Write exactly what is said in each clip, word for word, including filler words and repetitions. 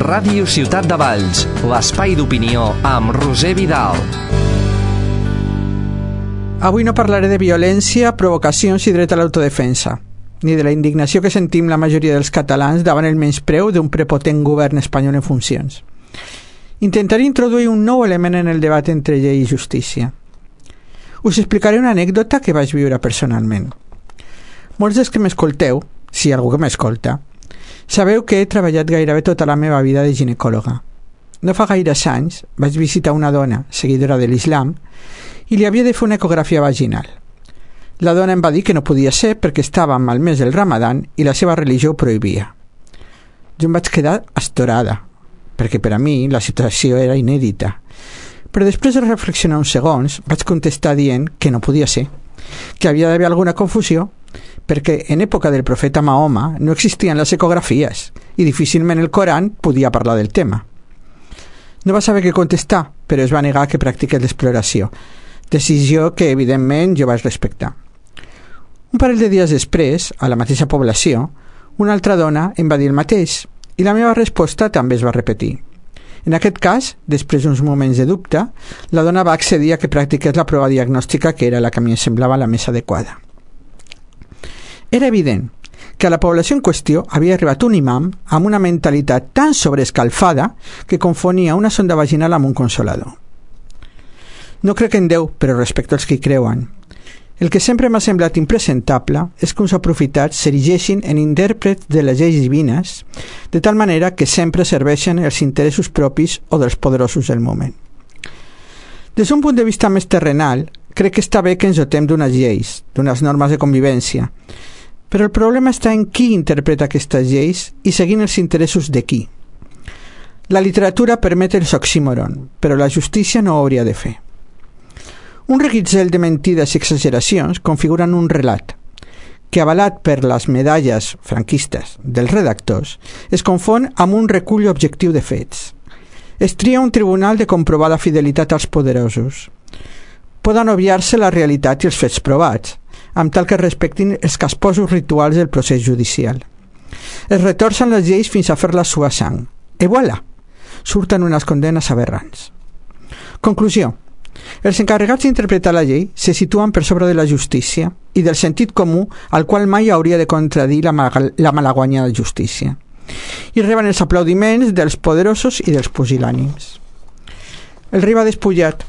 Ràdio Ciutat de Valls, l'espai d'opinió amb Roser Vidal. Avui no parlaré de violència, provocacions i dret a l'autodefensa, ni de la indignació que sentim la majoria dels catalans davant el menyspreu d'un prepotent govern espanyol en funcions. Intentaré introduir un nou element en el debat entre llei i justícia. Us explicaré una anècdota que vaig viure personalment. Molts dels que m'escolteu, si hi ha algú que m'escolta, sabeu que he treballat gairebé tota la meva vida de ginecòloga. No fa gaires anys vaig visitar una dona, seguidora de l'Islam, i li havia de fer una ecografia vaginal. La dona em va dir que no podia ser perquè estàvem al mes del Ramadan i la seva religió ho prohibia. Jo em vaig quedar astorada, perquè per a mi la situació era inèdita. Però després de reflexionar uns segons vaig contestar dient que no podia ser, que havia d'haver alguna confusió, perquè en època del profeta Mahoma no existien les ecografies i difícilment el Coran podia parlar del tema. No va saber què contestar, però es va negar que practiqués l'exploració, decisió que evidentment jo vaig respectar. Un parell de dies després, a la mateixa població, una altra dona em va dir el mateix i la meva resposta també es va repetir. En aquest cas, després d'uns moments de dubte, la dona va accedir a que practiqués la prova diagnòstica que era la que a mi em semblava la més adequada. Era evident que a la població en qüestió havia arribat un imam amb una mentalitat tan sobreescalfada que confonia una sonda vaginal amb un consolador. No crec en Déu, però respecto als que hi creuen. El que sempre m'ha semblat impresentable és que uns aprofitats s'erigeixin en intèrprets de les lleis divines, de tal manera que sempre serveixen els interessos propis o dels poderosos del moment. Des d'un punt de vista més terrenal, crec que està bé que ens dotem d'unes lleis, d'unes normes de convivència, però el problema està en qui interpreta aquestes lleis i seguint els interessos de qui. La literatura permet els oxímoron, però la justícia no ho hauria de fer. Un reguitzell de mentides i exageracions configuren un relat que, avalat per les medalles franquistes dels redactors, es confon amb un recull objectiu de fets. Es tria un tribunal de comprovada fidelitat als poderosos. Poden obviar-se la realitat i els fets provats, amb tal que respectin els casposos rituals del procés judicial. Es retorcen les lleis fins a fer-les suar sang. I voilà! Surten unes condenes aberrants. Conclusió. Els encarregats d'interpretar la llei se situen per sobre de la justícia i del sentit comú al qual mai hauria de contradir la, mal la malaguanyada justícia. I reben els aplaudiments dels poderosos i dels pusil·lànims. El rei va despullat,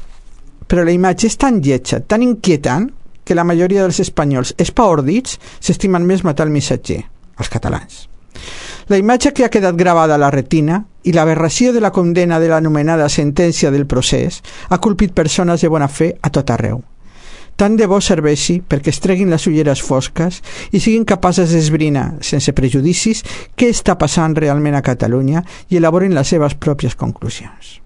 però la imatge és tan lletja, tan inquietant, que la majoria dels espanyols espaordits s'estimen més matar el missatger, els catalans. La imatge que ha quedat gravada a la retina i l'aberració de la condena de l'anomenada sentència del procés ha colpit persones de bona fe a tot arreu. Tant de bo serveixi perquè es treguin les ulleres fosques i siguin capaces d'esbrinar, sense prejudicis, què està passant realment a Catalunya i elaborin les seves pròpies conclusions.